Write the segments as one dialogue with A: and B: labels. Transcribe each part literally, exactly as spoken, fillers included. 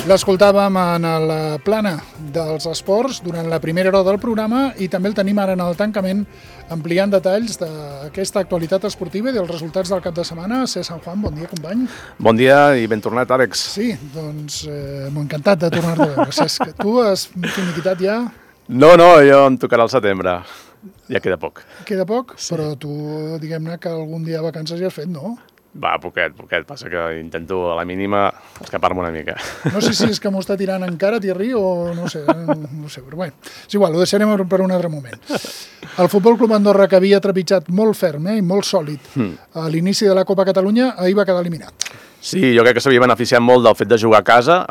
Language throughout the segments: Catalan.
A: L'escoltàvem en la plana dels esports durant la primera hora del programa i també el tenim ara en el tancament ampliant detalls d'aquesta actualitat esportiva i dels resultats del cap de setmana. César Juan, bon dia, company.
B: Bon dia i ben tornat, Àlex.
A: Sí, doncs eh, m'ho encantat de tornar-te a veure. Cesc, tu has finiquitat ja?
B: No, no, jo em tocarà al setembre. Ja queda poc.
A: Queda poc? Sí. Però tu, diguem-ne que algun dia de vacances ja has fet, no?
B: Va, poquet, poquet. Passa que intento a la mínima escapar-me una mica.
A: No sé si és que m'ho està tirant encara, Thierry, o no sé, no sé, però bé. És igual, ho deixarem per un altre moment. El Futbol Club Andorra, que havia trepitjat molt ferm eh, i molt sòlid a l'inici de la Copa Catalunya, ahir va quedar eliminat.
B: Sí, jo crec que s'havia beneficiat molt del fet de jugar a casa.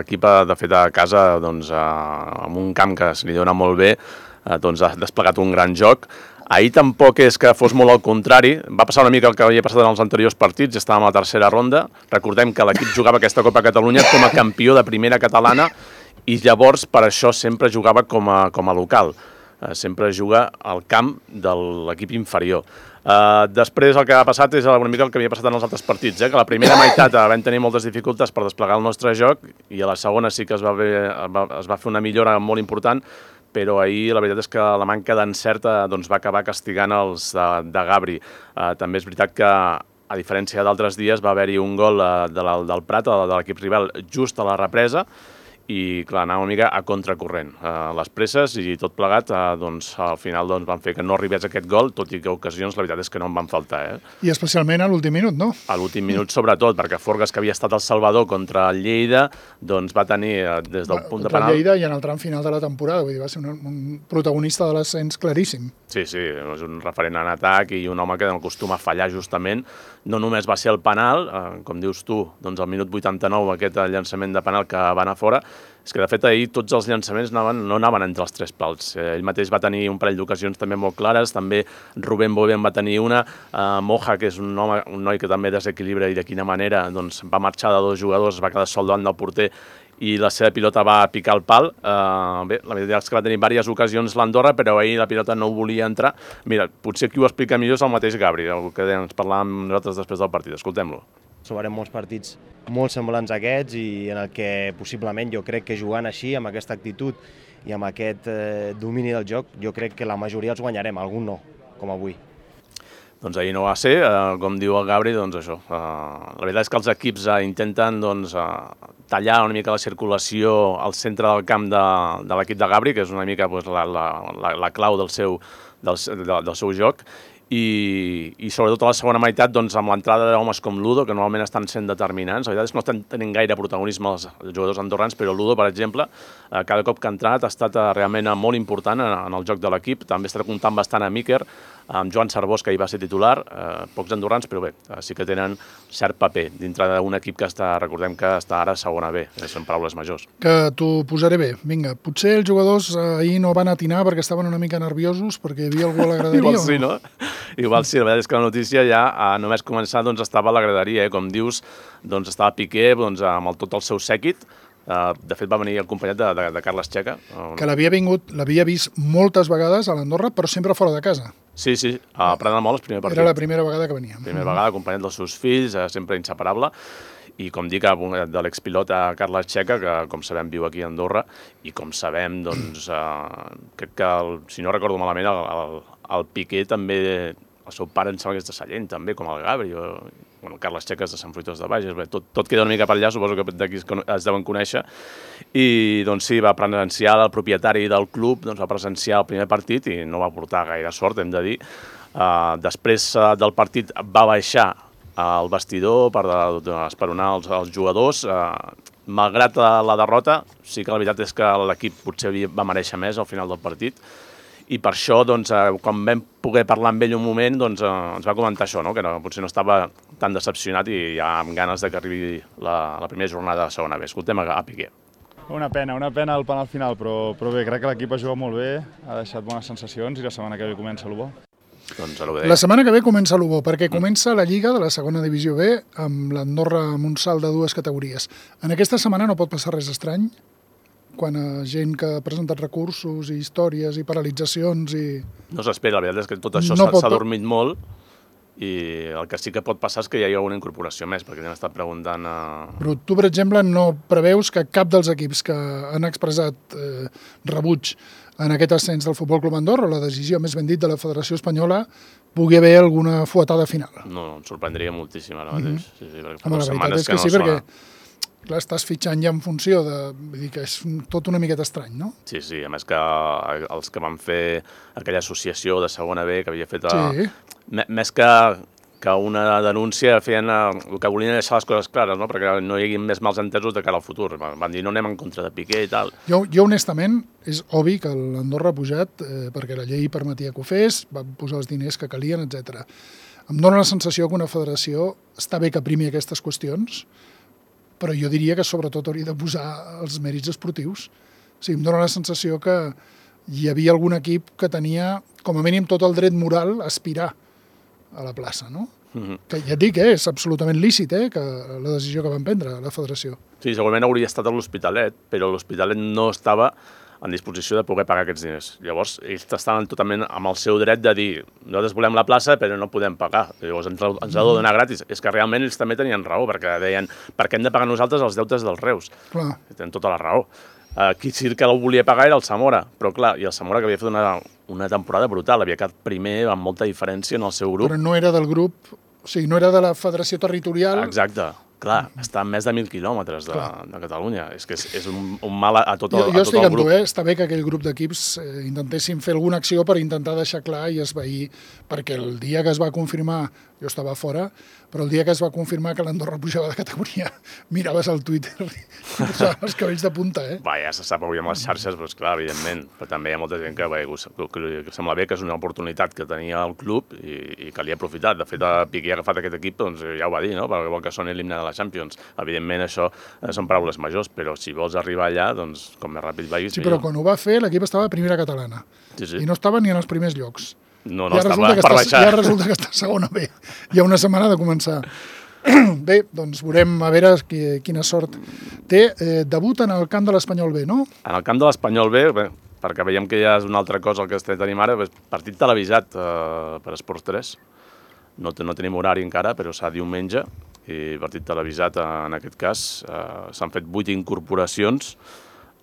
B: L'equip, de fet, a casa, doncs, amb un camp que se li dona molt bé, doncs, ha desplegat un gran joc. Ahir tampoc és que fos molt al contrari, va passar una mica el que havia passat en els anteriors partits, ja estàvem a la tercera ronda, recordem que l'equip jugava aquesta Copa Catalunya com a campió de primera catalana i llavors per això sempre jugava com a, com a local, sempre juga al camp de l'equip inferior. Uh, després el que ha passat és una mica el que havia passat en els altres partits, eh? Que la primera meitat vam tenir moltes dificultats per desplegar el nostre joc i a la segona sí que es va, ver, es va fer una millora molt important, però ahir la veritat és que la manca d'encert doncs, va acabar castigant els de, de Gabri. Uh, també és veritat que, a diferència d'altres dies, va haver-hi un gol uh, de la, del Prat, de l'equip rival, just a la represa, i clar, anava una mica a contracorrent. Uh, les presses i tot plegat, uh, doncs, al final doncs, van fer que no arribés aquest gol, tot i que ocasions la veritat és que no en van faltar. Eh?
A: I especialment a l'últim minut, no?
B: A l'últim minut sobretot, perquè Forgas, que havia estat el salvador contra el Lleida, doncs va tenir uh, des del punt de penal...
A: Contra el Lleida i en el tram final de la temporada, vull dir, va ser un, un protagonista de l'ascens claríssim.
B: Sí, sí, és un referent en atac i un home que acostuma a fallar justament. No només va ser el penal, eh, com dius tu, doncs al minut vuitanta-nou aquest llançament de penal que va anar fora, és que de fet ahir tots els llançaments anaven, no anaven entre els tres pals. Eh, ell mateix va tenir un parell d'ocasions també molt clares, també Rubén Boven va tenir una, eh, Moja, que és un, home, un noi que també desequilibra i de quina manera doncs, va marxar de dos jugadors, va quedar sol davant del porter i la seva pilota va picar el pal. Uh, bé, la veritat és que va tenir diverses ocasions l'Andorra, però ahir la pilota no volia entrar. Mira, potser qui ho explica millor és el mateix Gabri, el que ens parlàvem nosaltres després del partit. Escoltem-lo.
C: Trobarem molts partits molt semblants a aquests i en el que possiblement jo crec que jugant així, amb aquesta actitud i amb aquest eh, domini del joc, jo crec que la majoria els guanyarem, algun no, com avui.
B: Doncs ahir no va ser, eh, com diu el Gabri, doncs això. Eh, la veritat és que els equips eh, intenten doncs, eh, tallar una mica la circulació al centre del camp de, de l'equip de Gabri, que és una mica doncs, la, la, la, la clau del seu, del, del seu joc, i, i sobretot a la segona meitat doncs, amb l'entrada d'homes com Ludo, que normalment estan sent determinants. La veritat és que no estan tenint gaire protagonisme els, els jugadors andorrans, però Ludo, per exemple, eh, cada cop que ha entrat ha estat eh, realment molt important en, en el joc de l'equip. També està comptant bastant a Miquel, amb Joan Sarbós, que hi va ser titular, eh, pocs andorrans, però bé, eh, sí que tenen cert paper dintre d'un equip que està, recordem que està ara a segona B, són paraules majors.
A: Que t'ho posaré bé. Vinga, potser els jugadors ahir no van atinar perquè estaven una mica nerviosos, perquè hi havia algú a la graderia.
B: Igual sí, no? Igual sí, la veritat és que la notícia ja a només començar doncs, estava a la graderia, eh? Com dius, doncs, estava Piqué doncs, amb el, tot el seu sèquit. Uh, de fet va venir acompanyat de, de, de Carles Checa.
A: Que l'havia vingut, l'havia vist moltes vegades a l'Andorra, però sempre fora de casa.
B: Sí, sí, a Prat de Moles, primer partit.
A: Era la primera vegada que venia.
B: Primera vegada, acompanyat dels seus fills, uh, sempre inseparable. I com dic, de l'expilot a Carles Checa, que com sabem viu aquí a Andorra, i com sabem, doncs, uh, crec que, el, si no recordo malament, el, el, el Piqué també, el seu pare em sembla que és de Sallent, també, com el Gabri, o, bueno, Carles Checa és de Sant Fruitós de Bages, bé, tot, tot queda una mica per allà, suposo que d'aquí es, es deuen conèixer, i doncs sí, va presenciar el propietari del club, doncs va presenciar el primer partit i no va portar gaire sort, hem de dir. Uh, després uh, del partit va baixar al vestidor per esperonar els, els jugadors. Eh, malgrat la derrota, sí que la veritat és que l'equip potser va mereixer més al final del partit, i per això, doncs, eh, quan vam poder parlar amb ell un moment, doncs, eh, ens va comentar això, no? Que no, potser no estava tan decepcionat i ja amb ganes de que arribi la, la primera jornada de segona B. Escoltem a, a Piqué.
D: Una pena, una pena el penal final, però, però bé, crec que l'equip ha jugat molt bé, ha deixat bones sensacions i la setmana que ve comença el bo.
B: Doncs
A: la setmana que ve comença l'U B O, perquè comença la Lliga de la segona divisió B amb l'Andorra amb un salt de dues categories. En aquesta setmana no pot passar res estrany, quan a gent que ha presentat recursos i històries i paralitzacions i...
B: No s'espera, la veritat és que tot això s'ha no dormit molt i el que sí que pot passar és que hi hagi alguna incorporació més, perquè hem estat preguntant... A...
A: Però tu, per exemple, no preveus que cap dels equips que han expressat eh, rebuig en aquest ascens del Futbol Club Andorra, o la decisió més ben dit de la Federació Espanyola, pugui haver alguna fuetada final?
B: No, em sorprendria moltíssim ara mateix. Mm-hmm. sí, sí,
A: Home, la veritat és que, que no sí, perquè clar, estàs fitxant ja en funció de... Vull dir que és tot una miqueta estrany, no?
B: Sí, sí, a més que els que van fer aquella associació de segona B que havia fet... A...
A: Sí.
B: Més que, que una denúncia feien el que volien deixar les coses clares, no? Perquè no hi hagi més mals entesos de cara al futur. Van dir no anem en contra de Piqué i tal.
A: Jo, jo honestament, és obvi que l'Andorra ha pujat eh, perquè la llei permetia que ho fes, va posar els diners que calien, etcètera. Em dóna la sensació que una federació està bé que primi aquestes qüestions, però jo diria que sobretot hauria de posar els mèrits esportius. O sigui, em dóna la sensació que hi havia algun equip que tenia, com a mínim, tot el dret moral a aspirar a la plaça, no? Mm-hmm. Que ja et dic, eh, és absolutament lícit, eh, que la decisió que van prendre la federació.
B: Sí, segurament hauria estat a l'Hospitalet, però l'Hospitalet no estava en disposició de poder pagar aquests diners. Llavors, ells estaven totalment amb el seu dret de dir nosaltres volem la plaça, però no podem pagar. Llavors, ens, ens ha de donar gratis. És que realment ells també tenien raó, perquè deien per què hem de pagar nosaltres els deutes dels Reus?
A: Clar.
B: Tenen tota la raó. Qui sí que el volia pagar era el Zamora, però clar, i el Zamora que havia fet una, una temporada brutal, havia quedat primer amb molta diferència en el seu grup.
A: Però no era del grup, o sigui, no era de la federació territorial.
B: Exacte. Clar, està a més de mil quilòmetres de, de Catalunya. És que és, és un, un mal a, a tot el,
A: jo, jo
B: a tot
A: estic
B: el
A: amb
B: grup.
A: Tu, eh? Està bé que aquell grup d'equips eh, intentessin fer alguna acció per intentar deixar clar i esvair, perquè el dia que es va confirmar, jo estava fora, però el dia que es va confirmar que l'Andorra pujava de categoria, miraves al Twitter i posaven els cabells de punta, eh?
B: Va, ja se sap avui amb les xarxes, però esclar, evidentment. Però també hi ha molta gent que, bé, que, que sembla bé que és una oportunitat que tenia el club i, i que li ha aprofitat. De fet, Piqué ha agafat aquest equip, doncs ja ho va dir, no? Perquè vol que soni l'himne de la Champions. Evidentment, això eh, són paraules majors, però si vols arribar allà, doncs com més ràpid vagis...
A: Sí, però quan ho va fer, l'equip estava a primera catalana.
B: Sí, sí.
A: I no estava ni en els primers llocs.
B: No, no,
A: ja
B: estava per
A: està,
B: baixar.
A: Ja resulta que està segona B. Hi ha una setmana de començar. Bé, doncs veurem a veure qui, quina sort té. Eh, debut en el camp de l'Espanyol B, no?
B: En el camp de l'Espanyol B, bé, perquè veiem que ja és una altra cosa el que estem tenim ara, partit televisat eh, per Esports tres. No, no tenim horari encara, però serà diumenge, i partit televisat en aquest cas. Eh, s'han fet vuit incorporacions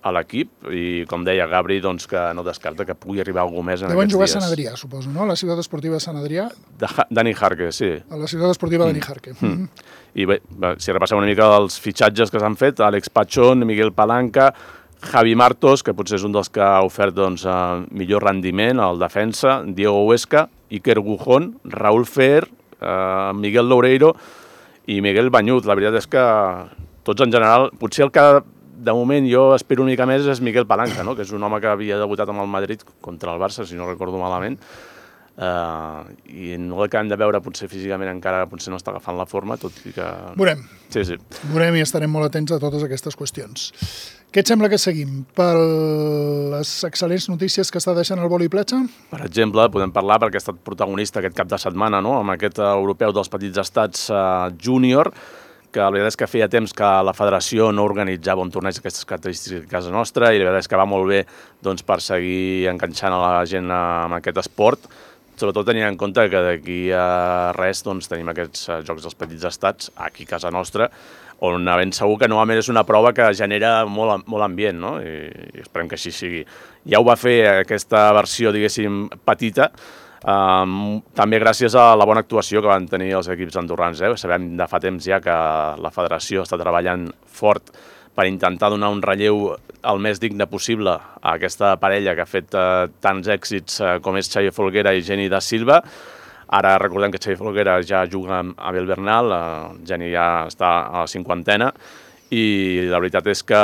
B: a l'equip i, com deia Gabri, doncs, que no descarta que pugui arribar algú més en
A: Deuen
B: aquests
A: jugar
B: dies.
A: a Sant Adrià, suposo, no? La ciutat esportiva de Sant Adrià.
B: De Dani Jarque, sí.
A: A la ciutat esportiva mm. de Dani Jarque. Mm. Mm.
B: I bé, si repassem una mica els fitxatges que s'han fet, Àlex Pachón, Miguel Palanca, Javi Martos, que potser és un dels que ha ofert doncs, millor rendiment al defensa, Diego Huesca, Iker Gujón, Raúl Fer, eh, Miguel Loureiro i Miguel Banyut. La veritat és que tots en general, potser el que de moment jo espero una mica més és Miguel Palanca, no? Que és un home que havia debutat amb el Madrid contra el Barça, si no recordo malament, uh, i no l'acabem de veure potser físicament encara, potser no està agafant la forma, tot i que...
A: Veurem.
B: Sí, sí.
A: Veurem i estarem molt atents a totes aquestes qüestions. Què et sembla que seguim? Per les excel·lents notícies que està deixant el vòlei platja?
B: Per exemple, podem parlar perquè ha estat protagonista aquest cap de setmana, no? Amb aquest europeu dels petits estats uh, júnior, que la veritat és que feia temps que la federació no organitzava un torneig d'aquestes característiques a casa nostra i la veritat és que va molt bé doncs, per seguir enganxant a la gent amb aquest esport, sobretot tenint en compte que d'aquí a res doncs, tenim aquests Jocs dels Petits Estats aquí a casa nostra, on ben segur que novament és una prova que genera molt, molt ambient, no? I, i esperem que així sigui. Ja ho va fer aquesta versió, diguéssim, petita, Um, també gràcies a la bona actuació que van tenir els equips andorrans. Eh? Sabem de fa temps ja que la federació està treballant fort per intentar donar un relleu el més digne possible a aquesta parella que ha fet uh, tants èxits uh, com és Xavier Folguera i Geni da Silva. Ara recordem que Xavier Folguera ja juga amb Abel Bernal, uh, Geni ja està a la cinquantena, i la veritat és que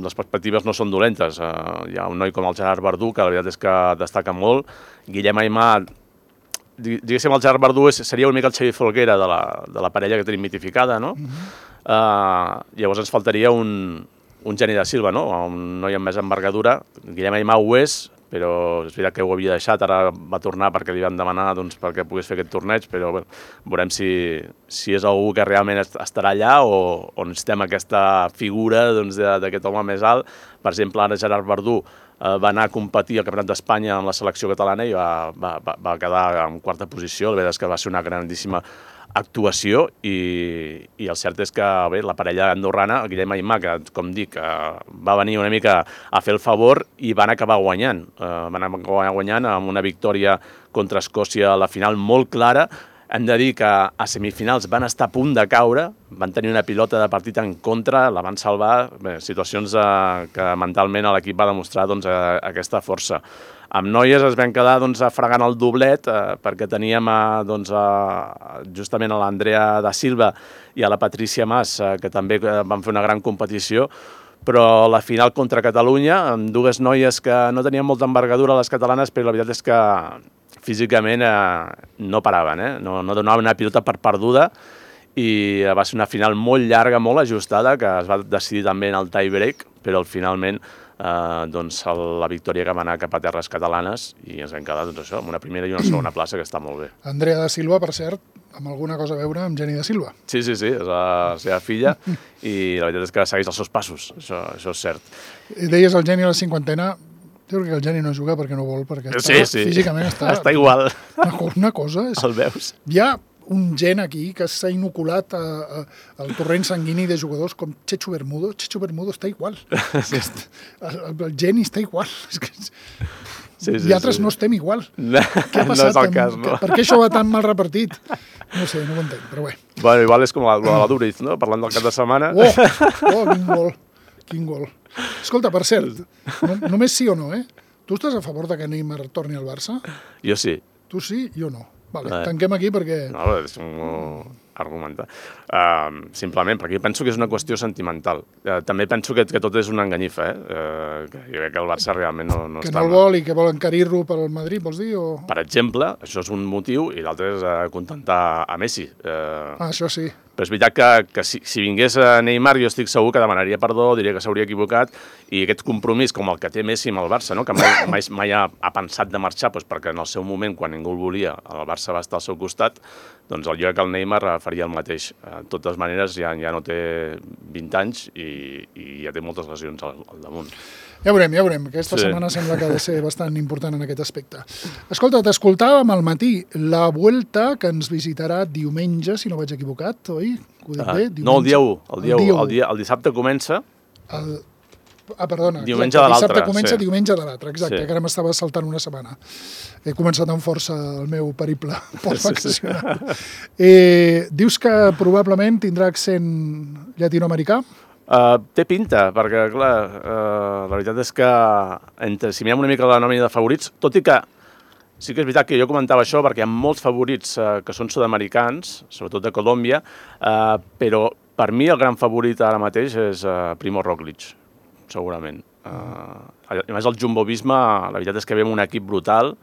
B: les perspectives no són dolentes. Uh, hi ha un noi com el Gerard Verdú, que la veritat és que destaca molt. Guillem Aimà, diguéssim, el Gerard Verdú és, seria una mica el Xavier Folguera de la, de la parella que tenim mitificada, no? Uh-huh. uh, llavors ens faltaria un, un Geni da Silva, no? Un noi amb més envergadura. Guillem Aimà ho és, però és veritat que ho havia deixat, ara va tornar perquè li van demanar doncs, perquè pogués fer aquest torneig, però bueno, veurem si, si és algú que realment estarà allà o, o necessitem aquesta figura doncs, d'aquest home més alt. Per exemple, ara Gerard Verdú va anar a competir al Campionat d'Espanya amb la selecció catalana i va, va, va quedar en quarta posició. La veritat és que va ser una grandíssima actuació i, i el cert és que bé, la parella andorrana, el Guillem Aimà, que com dic, va venir una mica a fer el favor i van acabar guanyant. Van acabar guanyant amb una victòria contra Escòcia a la final molt clara. Hem de dir que a semifinals van estar a punt de caure, van tenir una pilota de partit en contra, la van salvar, bé, situacions eh, que mentalment l'equip va demostrar doncs, eh, aquesta força. Amb noies es van quedar doncs, fregant el doblet eh, perquè teníem eh, doncs, eh, justament a l'Andrea da Silva i a la Patricia Mas, eh, que també eh, van fer una gran competició, però la final contra Catalunya, amb dues noies que no tenien molta envergadura les catalanes, però la veritat és que físicament eh, no paraven, eh? no, no donaven una pilota per perduda i va ser una final molt llarga, molt ajustada, que es va decidir també en el tie break, però finalment eh, doncs, la victòria que va anar cap a terres catalanes i ens vam quedar doncs, això, amb una primera i una segona plaça que està molt bé.
A: Andrea da Silva, per cert, amb alguna cosa a veure amb Jenny da Silva.
B: Sí, sí, sí, és la seva filla i la veritat és que segueix els seus passos, això, això és cert.
A: I deies el Jenny a la cinquantena. Jo crec que el Geni no juga perquè no vol, perquè està,
B: sí, sí.
A: físicament està...
B: Està igual.
A: Una, una cosa és...
B: El veus?
A: Hi ha un gen aquí que s'ha inoculat a, a, al torrent sanguini de jugadors com Chechu Bermudo. Chechu Bermudo està igual. Sí. El, el Geni està igual. És que... Sí, sí, I altres sí. no estem igual.
B: No,
A: què ha passat?
B: No és el cas, no?
A: Per què això va tan mal repartit? No sé, no ho entenc, però bé.
B: Bueno, igual és com la, la Duriz, no? Parlant del cap de setmana.
A: Oh, oh, quin gol. Quin gol. Escolta, per cert, no, només sí o no, eh? Tu estàs a favor de que Neymar torni al Barça?
B: Jo sí.
A: Tu sí, jo no. Vale, eh. tanquem aquí perquè...
B: No, és un argumentar. Uh, simplement, perquè penso que és una qüestió sentimental. Uh, també penso que, que tot és una enganyifa, eh? Uh, que jo crec que el Barça realment no, no
A: que
B: està...
A: Que no el vol i que vol encarir-lo pel Madrid, vols dir? O...
B: Per exemple, això és un motiu i l'altre és uh, contentar a Messi. Uh,
A: ah, això sí.
B: Però és veritat que, que si, si vingués a Neymar jo estic segur que demanaria perdó, diria que s'hauria equivocat i aquest compromís com el que té Messi amb el Barça, no? Que mai, mai, mai ha, ha pensat de marxar doncs perquè en el seu moment, quan ningú el volia, el Barça va estar al seu costat, doncs jo crec que el Neymar faria el mateix. De totes maneres ja, ja no té vint anys i, i ja té moltes lesions al, al damunt.
A: Ja veurem, ja veurem. Aquesta sí. setmana sembla que ha de ser bastant important en aquest aspecte. Escolta, t'escoltàvem al matí la Vuelta, que ens visitarà diumenge, si no vaig equivocat, oi? Ho dic bé?
B: Diumenge. No, el dia u. El, dia el, dia u. El, dia, el dissabte comença...
A: El... Ah, perdona.
B: Diumenge exacte, de l'altre.
A: Dissabte comença, sí. Diumenge de l'altre, exacte,
B: sí.
A: que ara m'estava saltant una setmana. He començat amb força el meu periple post-vacacional. Sí, sí. eh, dius que probablement tindrà accent llatinoamericà?
B: Uh, té pinta, perquè, clar, uh, la veritat és que entre, si mirem una mica la nòmina de favorits, tot i que sí que és veritat que jo comentava això perquè hi ha molts favorits uh, que són sud-americans, sobretot de Colòmbia, uh, però per mi el gran favorit ara mateix és uh, Primo Roglic, segurament. Uh, a més, el Jumbo-Visma, la veritat és que ve un equip brutal.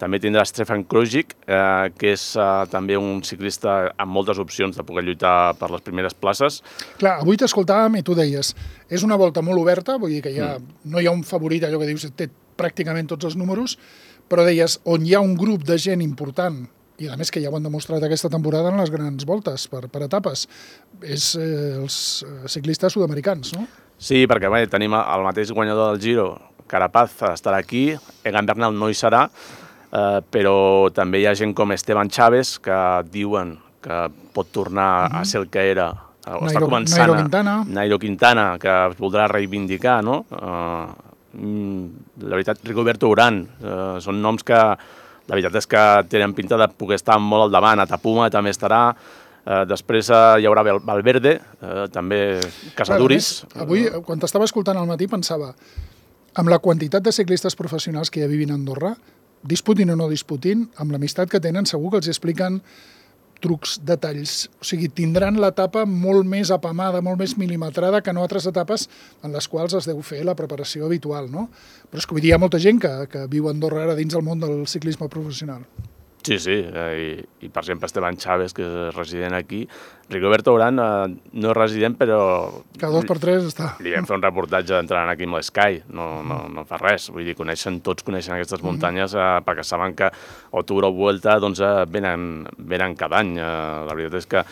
B: També tindrà Stefan Krujic, eh, que és eh, també un ciclista amb moltes opcions de poder lluitar per les primeres places.
A: Clar, avui t'escoltàvem i tu deies, és una volta molt oberta, vull dir que hi ha, mm. no hi ha un favorit, allò que dius, té pràcticament tots els números, però deies, on hi ha un grup de gent important, i a més que ja ho han demostrat aquesta temporada en les grans voltes, per, per etapes, és eh, els ciclistes sud-americans, no?
B: Sí, perquè bé, tenim el mateix guanyador del Giro, Carapaz, estarà aquí, Egan Bernal no hi serà, Uh, però també hi ha gent com Esteban Chaves que diuen que pot tornar mm-hmm. a ser el que era. Uh,
A: Nairo,
B: està començant
A: Nairo Quintana.
B: A, Nairo Quintana, que es voldrà reivindicar, no? Uh, la veritat, Rigoberto Urán, uh, són noms que la veritat és que tenen pinta de poder estar molt al davant. Atapuma també estarà. Uh, després uh, hi haurà Valverde, uh, també Casaduris.
A: Clar, avui, quan t'estava escoltant al matí, pensava, amb la quantitat de ciclistes professionals que ja vivin a Andorra, disputin o no disputin, amb l'amistat que tenen, segur que els expliquen trucs, detalls. O sigui, tindran l'etapa molt més apamada, molt més milimetrada que no altres etapes en les quals es deu fer la preparació habitual, no? Però és que vull dir, hi ha molta gent que, que viu a Andorra ara dins del món del ciclisme professional.
B: Sí, sí, eh, i, i per exemple Esteban Chaves, que és resident aquí. Rigoberto Urán eh, no és resident, però...
A: Cada dos per tres està.
B: Li vam fer un reportatge entrant aquí amb l'Sky, no, no, no fa res. Vull dir, coneixen, tots coneixen aquestes muntanyes eh, perquè saben que o Tour o Vuelta doncs, eh, venen, venen cada any. Eh, la veritat és que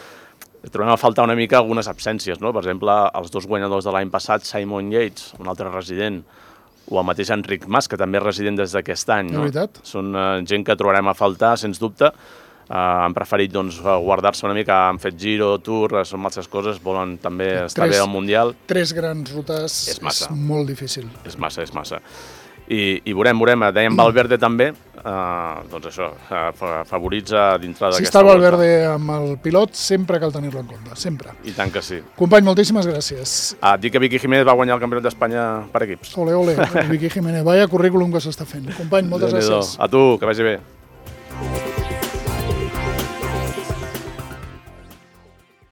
B: trobem a faltar una mica algunes absències, no? Per exemple, els dos guanyadors de l'any passat, Simon Yates, un altre resident, o el mateix Enric Mas, que també és resident des d'aquest any.
A: De veritat.
B: Són gent que trobarem a faltar, sens dubte. Han preferit guardar-se una mica, han fet Giro, Tour, són masses coses, volen també estar bé al Mundial.
A: Tres grans rutes és molt difícil.
B: És massa, és massa. I, i veurem, veurem, dèiem Valverde també, eh, doncs això, favoritza dintre d'aquesta volta.
A: Si està Valverde amb el pilot, sempre cal tenir-lo en compte, sempre.
B: I tant que sí.
A: Company, moltíssimes gràcies.
B: Ah, dic que Vicky Jiménez va guanyar el Campionat d'Espanya per equips.
A: Ole, ole, Vicky Jiménez, vaya currículum que s'està fent. Company, moltes gràcies.
B: A tu, que vagi bé.